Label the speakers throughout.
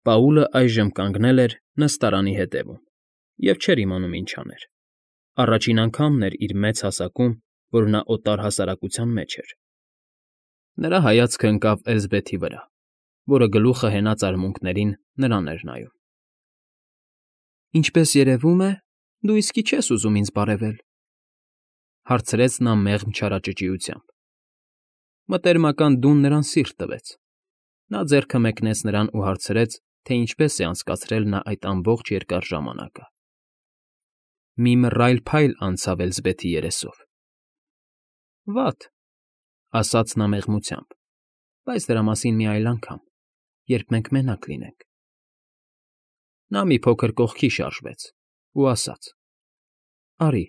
Speaker 1: Պաուլը այժմ կանգնել էր նստարանի ետևում և չէր իմանում ինչ աներ. առաջին անգամն էր իր մեծ հասակում, որ նա օտար հասարակության մեջ էր։ Նրա հայացքը ընկավ Էլզբեթի վրա, որը գլուխը հենած արմունկներին նրան էր նայում։ «Ինչպես երևում է, դու իսկի չես ուզում ինձ բարևել,֊ հարցրեց նա մեղմ չարաճճիությամբ։ Մտերմական դուն նրան սիրտ տվեց։ Նա ձեռքը մեկնեց նրան ու հարցրեց, թե ինչպես է անցկացրել նա այդ ամբողջ երկար ժամանակը։ Մի մռայլ փայլ անցավ Էլզբեթի երեսով։ «Վատ,֊ ասաց նա մեղմությամբ,֊ բայց դրա մասին մի այլ անգամ, երբ մենք մենակ լինենք»։ Նա մի փոքր կողքի շարժվեց ու ասաց. «Արի»։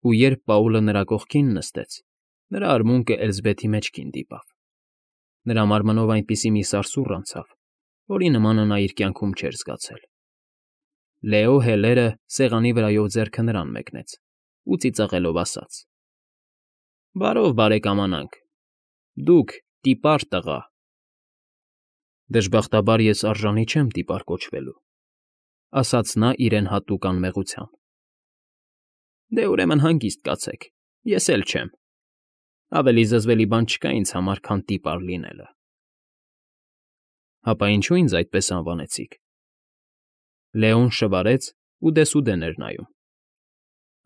Speaker 1: Ու երբ Պաուլը նրա կողքին նստեց, նրա արմունկը Էլզբեթի մեջքին դիպավ։ Նրա մարմնով այնպիսի մի սարսուռ անցավ, որի նմանը նա իր կյանքում չէր զգացել։ Լեո Հելերը սեղանի վրայով ձեռքը նրան մեկնեց ու ծիծաղելով ասաց. «Բարով բարեկամանանք, դուք տիպար տղա»։ «Դժբախտաբար ես արժանի չեմ տիպար կոչվելու,֊ ասաց նա իրեն հատուկ անմեղությամբ։ Դե ուրեմն հանգիստ կացեք, ես էլ չեմ։ Ավելի զզվելի բան չկա ինձ համար, քան տիպար լինելը։ Հապա ինչու ինձ այդպես անվանեցիք։ Լեոն շվարեց ու դեսուդեն էր նայում։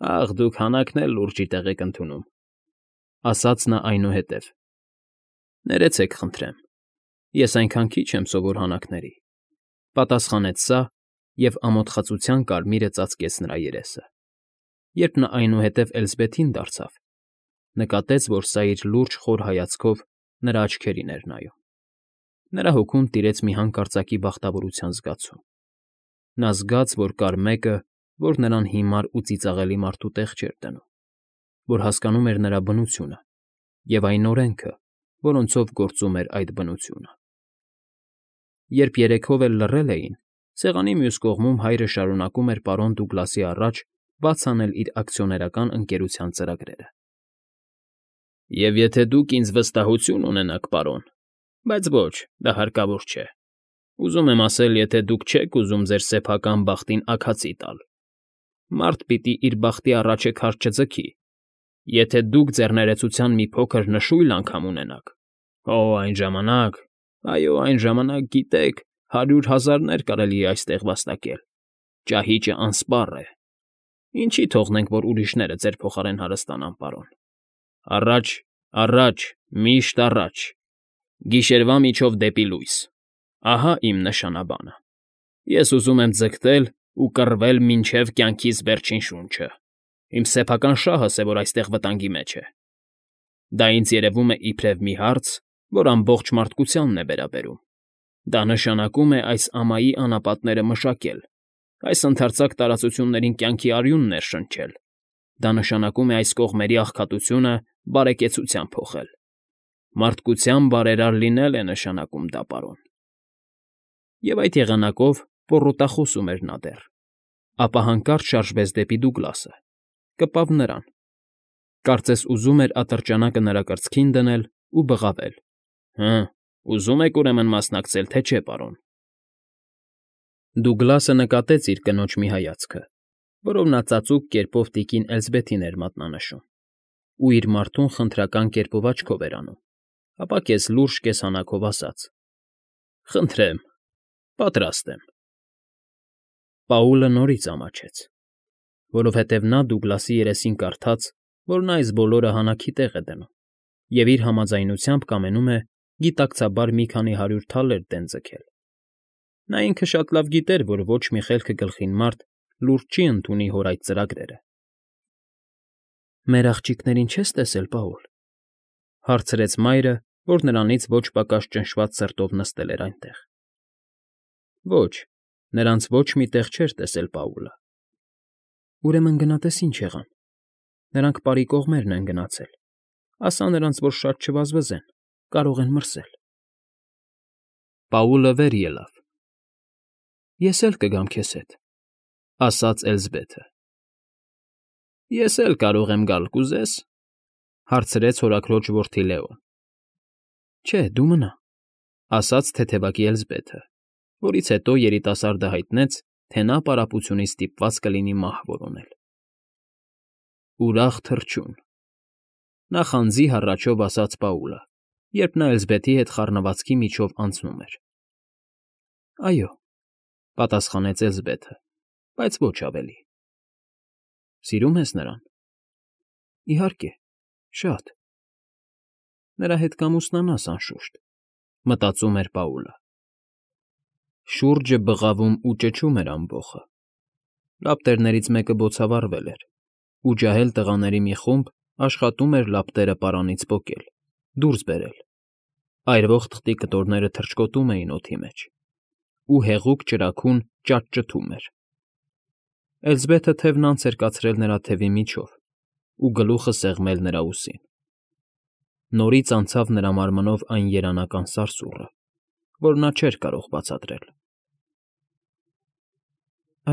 Speaker 1: Ախ, դուք հանակն էլ լուրջի տեղ եք ընդունում,֊ ասաց նա այնուհետև։ Ներեցեք խնդրեմ, ես այնքան քիչ եմ սովոր հանակների,֊ պատասխանեց սա և ամոթխածության կարմիրը ծածկեց նրա երեսը։ Երբ նա այնուհետև Էլզբեթին դարձավ, նկատեց, որ սա իր լուրջ խոր հայացքով նրա աչքերին էր նայում։ Նրա հոգում տիրեց մի հանկարծակի բախտավորության զգացում։ Նա զգաց, որ կար մեկը, որ նրան հիմար ու ծիծաղելի մարդու տեղ չէր դնում, որ հասկանում էր նրա բնությունը և այն օրենքը, որոնցով գործում էր այդ բնությունը։ Երբ երեքով էլ լռել էին, սեղանի մյուս կողմում հայրը շարունակում էր պարոն Դուգլասի առաջ բաց անել իր ակցիոներական ընկերության ծրագրերը։ Եվ եթե դուք ինձ վստահություն ունենաք, պարոն, բայց ոչ, դա հարկավոր չէ։ Ուզում եմ ասել, եթե դուք չեք ուզում ձեր սեփական բախտին աքացի տալ, մարդ պիտի իր բախտի առաջը քարտ չձգի։ Եթե դուք ձեռներեցության մի փոքր նշույլ անգամ ունենաք, այն ժամանակ, այո, այն ժամանակ, գիտեք, 100,000-ներ կարելի է այստեղ վաստակել։ Ճահիճը անսպառ է։ Ինչի թողնենք, որ ուրիշները ձեր փոխարեն հարստանան, պարոն։ Առաջ, առաջ, միշտ առաջ, գիշերվա միջով դեպի լույս։ Ահա իմ նշանաբանը։ Ես ուզում եմ ձգտել ու կռվել մինչև կյանքիս վերջին շունչը։ Իմ սեփական շահս է, որ այստեղ վտանգի մեջ է։ Դա ինձ երևում է իբրև մի հարց, որ ամբողջ մարդկությանն է վերաբերում։ Դա նշանակում է այս ամայի անապատները մշակել, այս ընդարձակ տարածություններին կյանքի արյուն ներշնչել։ Դա նշանակում է այս կողմերի աղքատությունը բարեկեցության փոխել։ Մարդկության բարերար լինել է նշանակում դա, պարոն։ Եվ այդ եղանակով պոռոտախոսում էր նա դեռ, ապա հանկարծ շարժվեց դեպի Դուգլասը, կպավ նրան, կարծես ուզում էր ատրճանակը նրա կրծքին դնել ու բղավել. Հը, ուզում եք ուրեմն մասնակցել, թե չէ, պարոն։ Դուգլասը նկատեց իր կնոջ մի հայացքը, որով նա ծածուկ կերպով տիկին Էլզբեթին էր մատնանշում, ու իր մարդուն խնդրական կերպով աչքով էր անում, ապա կես֊լուրջ, կես֊հանակով ասաց. Խնդրեմ, պատրաստ եմ։ Պաուլը նորից ամաչեց, որովհետև նա Դուգլասի երեսին կարդաց, որ նա այս բոլորը հանակի տեղ է դնում և իր համաձայնությամբ կամենում է գիտակցաբար մի քանի 100 թալեր դեն ձգել։ Նա ինքը շատ լավ գիտեր, որ ոչ մի խելքը գլխին մարդ լուրջ չի ընդունի հոր այդ ծրագրերը։ Մեր աղջիկներին չես տեսել, Պաուլ,֊ հարցրեց մայրը, որ նրանից ոչ պակաս ճնշված սրտով նստել էր այնտեղ։ Ոչ, նրանց ոչ մի տեղ չէր տեսել Պաուլը։ Ուրեմն գնա տես ինչ եղան։ Նրանք պարի կողմերն են գնացել։ Ասա նրանց, որ շատ չվազվզեն, կարող են մրսել։ Պաուլը վեր ելավ։ Ես էլ կգամ քեզ հետ,֊ ասաց Էլզբեթը։ Ես էլ կարող եմ գալ, կուզե՞ս,֊ հարցրեց հորաքրոջ որդի Լեոն։ Չէ, դու մնա,֊ ասաց թեթևակի Էլզբեթը որից հետո երիտասարդը հայտնեց, թե նա պարապությունից ստիպված կլինի մահ որոնել։ Ուրախ թռչուն, նախանձի հառաչով ասաց Պաուլը, երբ նա Էլզբեթի հետ խառնվածքի միջով անցնում էր։ Այո, պատասխանեց Էլզբեթը, բայց ոչ ավելի։ Սիրում ես նրան։ Իհարկե, շատ։ Նրա հետ կամուսնանաս անշուշտ, մտածում էր Պաուլը։ Շուրջը բղավում ու ճչում էր ամբոխը։ Լապտերներից մեկը բոցավառվել էր, ու ջահել տղաների մի խումբ աշխատում էր լապտերը պարանից պոկել, դուրս բերել։ Այրվող թղթի կտորները թռչկոտում էին օդի մեջ, ու հեղուկ ճրագուն ճաճճթում էր։ Էլզբեթը թևն անց էր կացրել նրա թևի միջով ու գլուխը սեղմել նրա ուսին։ Նորից անցավ նրա մարմնով այն երանական սարսուռը, որ նա չէր կարող բացատրել։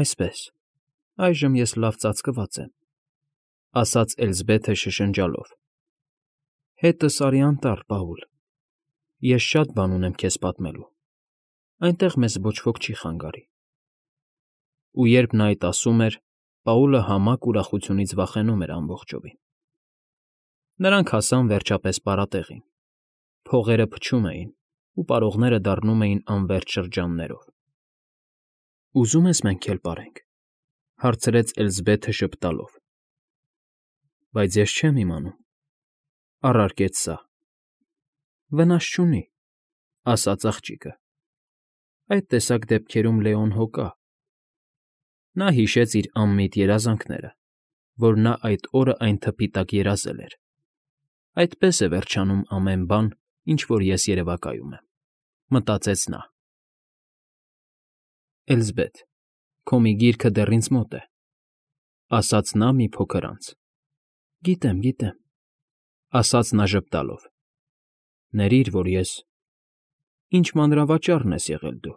Speaker 1: Այսպես, այժմ ես լավ ծածկված եմ, ասաց Էլզբեթը շշնջալով։ Հետս արի անտառ, Պաուլ։ Ես շատ բան ունեմ քեզ պատմելու։ Այնտեղ մեզ ոչ ոք չի խանգարի։ Ու երբ նա այդ ասում էր, Պաուլը համակ ուրախությունից վախենում էր ամբողջովին։ Նրանք հասան վերջապես պարատեղին։ Փողերը փչում էին, ու պարողները դառնում էին անվերջ շրջաններով։ Ուզում ես մենք էլ պարենք, հարցրեց Էլզբեթը շպտալով։ Բայց ես չեմ իմանում, առարկեց սա։ Վնաս չունի, ասաց աղջիկը։ Այդ տեսակ դեպքերում Լեոն հո կա։ Նա հիշեց իր անմիտ երազանքները, որ նա այդ օրը այն թփի տակ երազել էր։ Այդպես է վերջանում ամեն բան, ինչ որ ես երևակայում եմ, մտածեց նա։ Էլզբեթ, քո մի գիրքը դեռ ինձ մոտ է, ասաց նա մի փոքր անց։ Գիտեմ, ասաց նա ժպտալով։ Ներիր, որ ես… Ինչ մանրավաճառն ես եղել դու,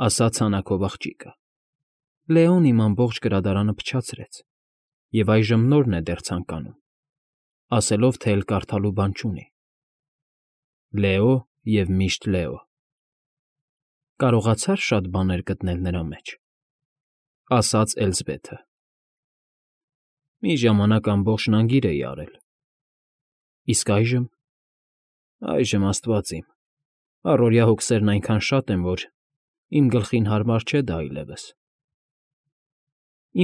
Speaker 1: ասաց հանակով աղջիկը։ Լեոն իմ ամբողջ գրադարանը փչացրեց, և այժմ նորն է դեռ ցանկանում, ասելով, թե էլ կարդալու բան չունի։ Լեո և միշտ Լեո։ Կարողացա՞ր շատ բաներ գտնել նրա մեջ, ասաց Էլզբեթը։ Մի ժամանակ ամբողջ նագիր էի արել։ Իսկ այժմ… Այժմ Աստված իմ, առօրյա հոգսերն այնքան շատ են, որ իմ գլխին հարմար չէ դա այլևս։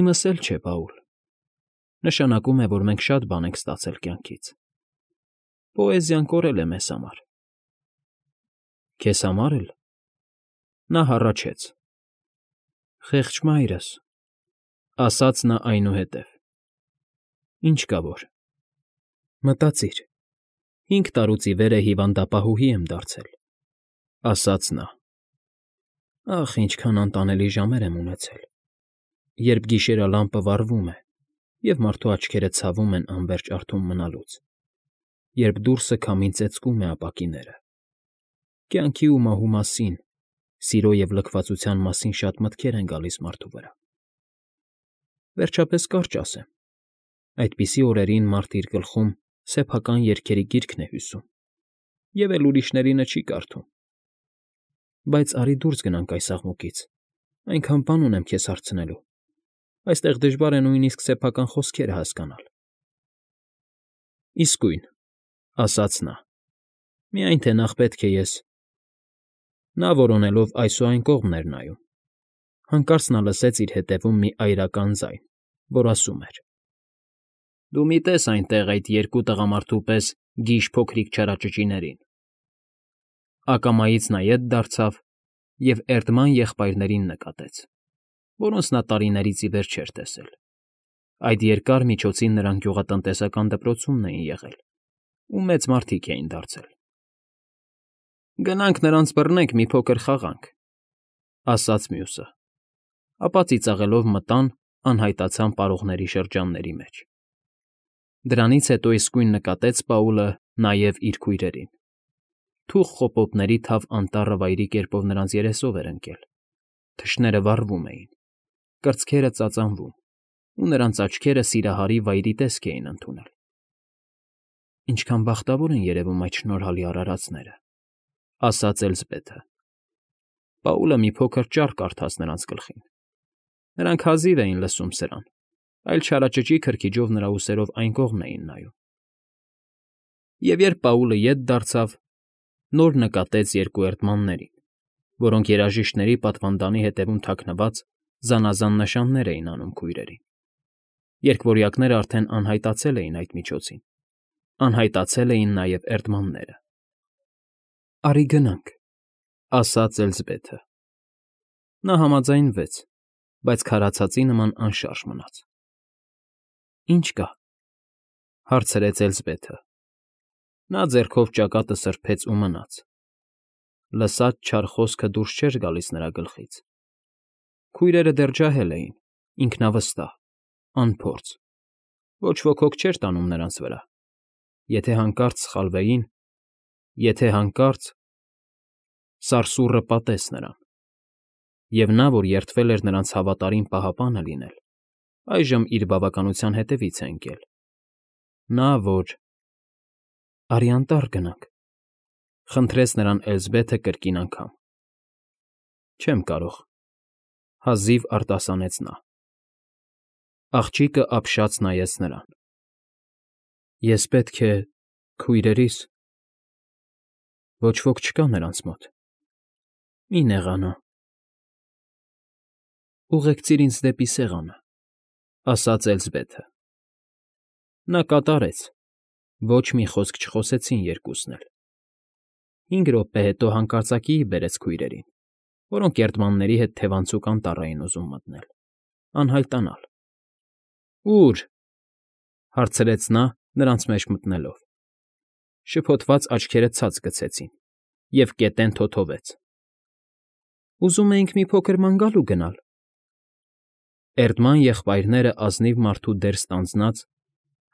Speaker 1: Իմս էլ չէ, Պաուլ։ Նշանակում է, որ մենք շատ բան ենք ստացել կյանքից։ Պոեզիան կորել է մեզ համար։ Քեզ համար էլ… Նա հառաչեց։ Խեղճ մայրս, ասաց նա այնուհետև։ Ինչ կա որ… Մտածիր, 5 տարուց ի վեր է հիվանդապահուհի եմ դարձել, ասաց նա։ Ախ, ինչքան անտանելի ժամեր եմ ունեցել, երբ գիշերալամպը վառվում է, և մարդու աչքերը ցավում են անվերջ արթուն մնալուց, երբ դուրսը քամին ծեծկում է ապակիները։ Կյանքի ու մահու մասին, սիրո և լքվածության մասին շատ մտքեր են գալիս մարդու վրա։ Վերջապես կարճ ասեմ, այդպիսի օրերին մարդ իր գլխում սեփական երգերի գիրքն է հյուսում, և էլ ուրիշներինը չի կարդում։ Բայց արի դուրս գնանք այս աղմուկից, այնքան բան ունեմ քեզ հարցնելու, այստեղ դժվար է նույնիսկ սեփական խոսքերը հասկանալ։ Իսկույն, ասաց նա, միայն թե նախ պետք է ես… Նա որոնելով այս ու այն կողմն էր նայում։ Հանկարծ նա լսեց իր հետևում մի այրական ձայն, որ ասում էր. Դու մի տես այնտեղ այդ երկու տղամարդու պես գիժ փոքրիկ չարաճճիներին։ Ակամայից նա ետ դարձավ և Էրդման եղբայրներին նկատեց, որոնց նա տարիներից ի վեր չէր տեսել։ Այդ երկար միջոցին նրանք գյուղատնտեսական դպրոցումն էին եղել ու մեծ մարդիկ էին դարձել։ Գնանք նրանց բռնենք մի փոքր խաղանք, ասաց մյուսը, ապա ծիծաղելով մտան անհայտացան պարողների շրջանների մեջ։ Դրանից հետո իսկույն նկատեց Պաուլը նաև իր քույրերին։ Թուխ խոպոպների թավ անտառը վայրի կերպով նրանց երեսով էր ընկել, թշները վառվում էին, կրծքերը ծածանվում, ու նրանց աչքերը սիրահարի վայրի տեսք էին ընդունել։ Ինչքան բախտավոր են երևում այդ շնորհալի արարածները, ասաց Էլզբեթը։ Պաուլը մի փոքր ճառ կարդաց նրանց գլխին։ Նրանք հազիվ էին լսում սրան, այլ չարաճճի քրքիջով նրա ուսերով այն կողմն էին նայում։ Եվ երբ Պաուլը ետ դարձավ, նոր նկատեց երկու էրդմաններին, որոնք երաժիշտների պատվանդանի հետևում թաքնված զանազան նշաններ էին անում քույրերին։ Երկվորյակները արդեն անհայտացել էին այդ միջոցին, անհայտացել էին նաև էրդմանները։ ֊ Արի գնանք, ֊ ասաց Էլզբեթը։ Նա համաձայնվեց, բայց քարացածի նման անշարժ մնաց։ ֊ Ինչ կա, ֊ հարցրեց Էլզբեթը։ Նա ձեռքով ճակատը սրբեց ու մնաց։ Լսած չար խոսքը դուրս չէր գալիս նրա գլխից։ Քույրերը դեռ ջահել էին, ինքնավստահ, անփորձ, ոչ ոք հոգ չէր տանում նրանց վրա։ Եթե հանկարծ սխալվեին, եթե հանկարծ… Սարսուռը պատեց նրան։ Եվ նա, որ երդվել էր նրանց հավատարիմ պահապանը լինել, այժմ իր բավականության հետևից է ընկել։ Նա, որ… Արի անտառ գնանք, ֊ խնդրեց նրան Էլզբեթը կրկին անգամ։ Չեմ կարող, ֊ հազիվ արտասանեց նա։ Աղջիկը ապշած նայեց նրան։ Ես պետք է քույրերիս… Ոչ ոք չկա նրանց մոտ։ Մի նեղանա… Ուղեկցիր ինձ դեպի սեղանը, ֊ ասաց Էլզբեթը։ Նա կատարեց, ոչ մի խոսք չխոսեցին երկուսն էլ։ 5 րոպե հետո հանկարծակիի բերեց քույրերին, որոնք էրդմանների հետ թևանցուկ անտառ էին ուզում մտնել, անհայտանալ։ Ո՞ւր, ֊ հարցրեց նա, նրանց մեջ մտնելով։ Շփոթված աչքերը ցած գցեցին, և կետեն թոթովեց։ Ուզում էինք մի փոքր ման գալու գնալ։ Էրդման եղբայրները ազնիվ մարդու դեր ստանձնած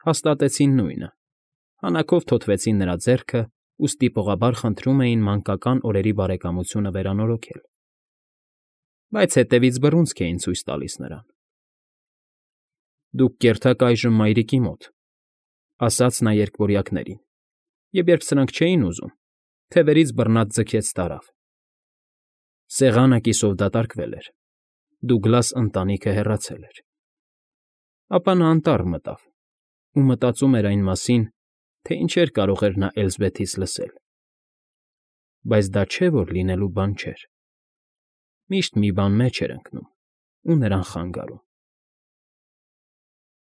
Speaker 1: հաստատեցին նույնը, հանակով թոթվեցին նրա ձեռքը ու ստիպողաբար խնդրում էին մանկական օրերի բարեկամությունը վերանորոգել։ Բայց հետևից բռունցք էին ցույց տալիս նրան։ Դուք կերթաք այժմ մայրիկի մոտ, ֊ ասաց նա երկվորյակներին, և երբ սրանք չէին ուզում, թևերից բռնած ձգեց տարավ։ Սեղանը կիսով դատարկվել էր, Դուգլաս ընտանիքը հեռացել էր։ Ապա նա անտառ մտավ ու մտածում էր այն մասին, թե ինչեր կարող էր նա Էլզբեթից լսել։ Բայց դա չէ, որ լինելու բան չէր։ Միշտ մի բան մեջ էր ընկնում ու նրան խանգարում։